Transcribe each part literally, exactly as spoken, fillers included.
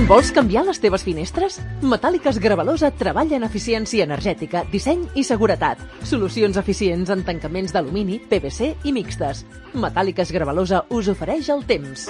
Vols canviar les teves finestres? Metàl·liques Gravalosa treballa en eficiència energètica, disseny i seguretat. Solucions eficients en tancaments d'alumini, P V C i mixtes. Metàl·liques Gravalosa us ofereix el temps.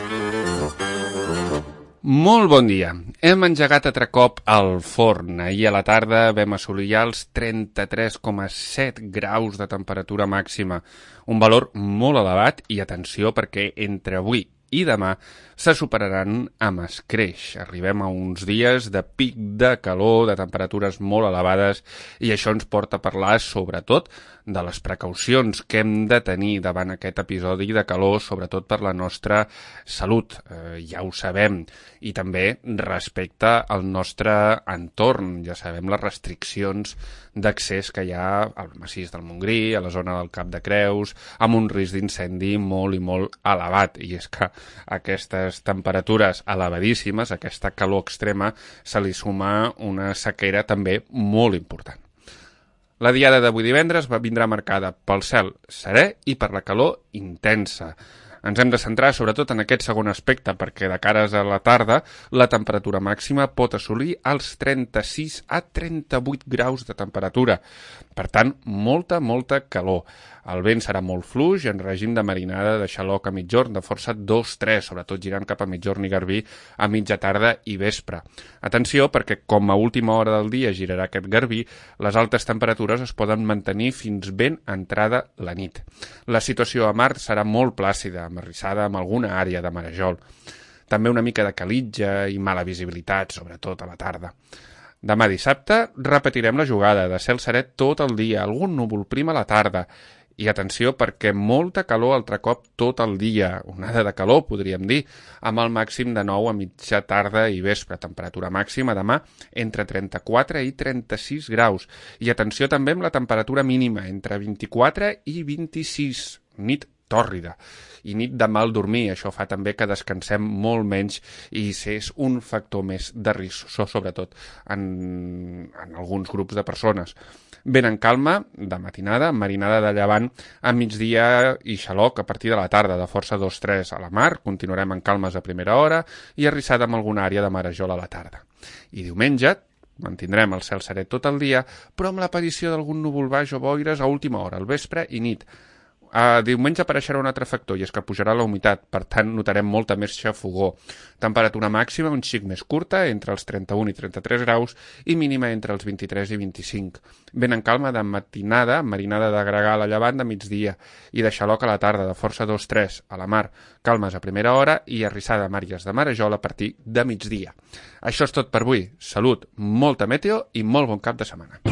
Molt bon dia. Hem engegat altre cop al forn. Ahir a la tarda vam assolir ja els trenta-tres coma set graus de temperatura màxima. Un valor molt elevat i atenció perquè entre avui i demà se superaran amb escreix. Arribem a uns dies de pic de calor, de temperatures molt elevades, i això ens porta a parlar sobretot de les precaucions que hem de tenir davant aquest episodi de calor, sobretot per la nostra salut, eh, ja ho sabem, i també respecte al nostre entorn. Ja sabem les restriccions d'accés que hi ha al massís del Montgrí, a la zona del Cap de Creus, amb un risc d'incendi molt i molt elevat, i és que aquestes temperatures elevadíssimes, aquesta calor extrema, se li suma una sequera també molt important. La diada d'avui divendres va vindrà marcada pel cel serè i per la calor intensa. Ens hem de centrar sobretot en aquest segon aspecte, perquè de cares a la tarda la temperatura màxima pot assolir els trenta-sis a trenta-vuit graus de temperatura. Per tant, molta, molta calor. El vent serà molt fluix, en règim de marinada de xaloc a mitjorn, de força dos tres, sobretot girant cap a mitjorn i garbí a mitja tarda i vespre. Atenció, perquè com a última hora del dia girarà aquest garbí, les altes temperatures es poden mantenir fins ben entrada la nit. La situació a mar serà molt plàcida, amarrissada amb alguna àrea de marejol. També una mica de calitja i mala visibilitat, sobretot a la tarda. Demà dissabte repetirem la jugada de cel serè tot el dia, algun núvol prim a la tarda. I atenció perquè molta calor altre cop tot el dia, onada de calor podríem dir, amb el màxim de nou a mitja tarda i vespre. Temperatura màxima demà entre trenta-quatre i trenta-sis graus. I atenció també amb la temperatura mínima, entre vint-i-quatre i vint-i-sis, nit tòrrida i nit de mal dormir. Això fa també que descansem molt menys i és un factor més de risc, sobretot en, en alguns grups de persones. Vent en calma, de matinada, marinada de llevant a migdia i xaloc a partir de la tarda, de força dos tres a la mar. Continuarem en calmes a primera hora i arrissada amb alguna àrea de marejol a la tarda. I diumenge mantindrem el cel serè tot el dia, però amb l'aparició d'algun núvol baix o boires a última hora, al vespre i nit. A diumenge apareixerà un altre factor, i és que pujarà la humitat, per tant notarem molta més xafogor. Temperatura màxima un xic més curta, entre els trenta-un i trenta-tres graus, i mínima entre els vint-i-tres i vint-i-cinc. Vent en calma de matinada, marinada de gregal a llevant de migdia, i de xaloc a la tarda, de força dos tres a la mar, calmes a primera hora i arrissada amb àrees de marejol a partir de migdia. Això és tot per avui. Salut, molta meteo i molt bon cap de setmana.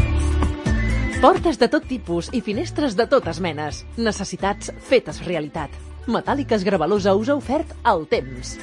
Portes de tot tipus i finestres de totes menes. Necessitats fetes realitat. Metàl·liques Gravalosa us ha ofert el temps.